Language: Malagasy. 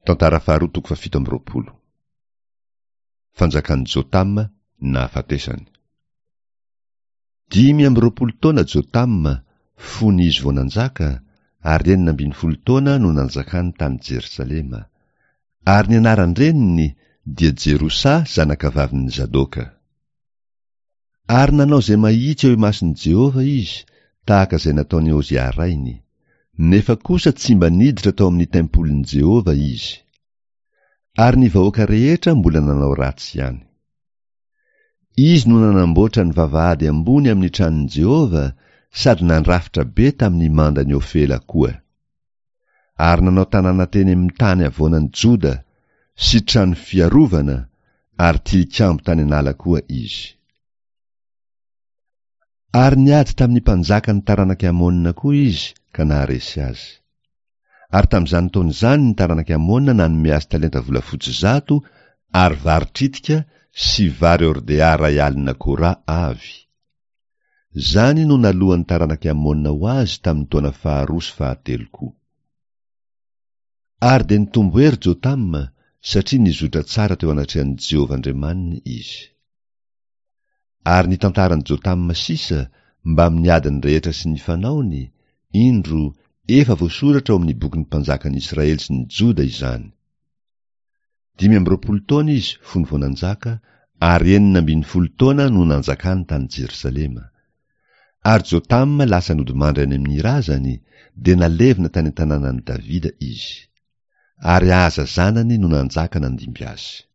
Tantara faharoa toko fahafito amby 20. Fanjakan'i Jotama nahafatesany. 25 taona Jotama fony izy vao nanjaka, ary 16 taona no nanjakany tany Jerosalema. Ary ny anaran-dreniny dia Jerosa zanakavavin'i Zadoka. Ary nanao izay mahitsy eo imason'i Jehovah izy, tahaka izay nataon'i Ozia rainy. Nefa kosa tsy mba niditra tao amin'ny tempolin'i Jehovah izy. Ary ny vahoaka rehetra mbola nanao ratsy ihany. Izy no nanamboatra ny vavahady ambony amin'ny tranon'i Jehovah sady nandrafitra be tamin'ny mandan'i Ofela koa. Ary nanao tanàna teny amin'ny tany havoanan'i Joda sy trano fiarovana ary tilikambo tany an'ala koa izy. Ary niady tamin'ny mpanjakan'ny taranak'i Amona koa izy ka naharesy azy. Ary tamin'izany taona izany ny taranak'i Amona nanome azy talenta volafotsy 100 ary vary tritika sy vary hordea 10,000 kora avy. Izany no naloan'ny taranak'i Amona ho azy tamin'ny taona faharoa sy fahatelo koa. Ary dia nitombo hery Jotama, satria nizotra tsara teo anatrehan'i Jehovah Andriamaniny izy. Ary ny tantaran'i Jotama sisa, mbamin'ny adiny rehetra sy ny fanaony, indro, efa voasoratra ao amin'ny bokin'ny mpanjakan'ny Israely sy ny Joda izany. 25 taona izy fony vao nanjaka, ary 16 taona no nanjakany tany Jerosalema. Ary Jotama lasa nodimandry any amin'ny razany, dia nalevina tany an-tanànan'i Davida izy. Ary Ahaza zanany no nanjaka nandimby azy.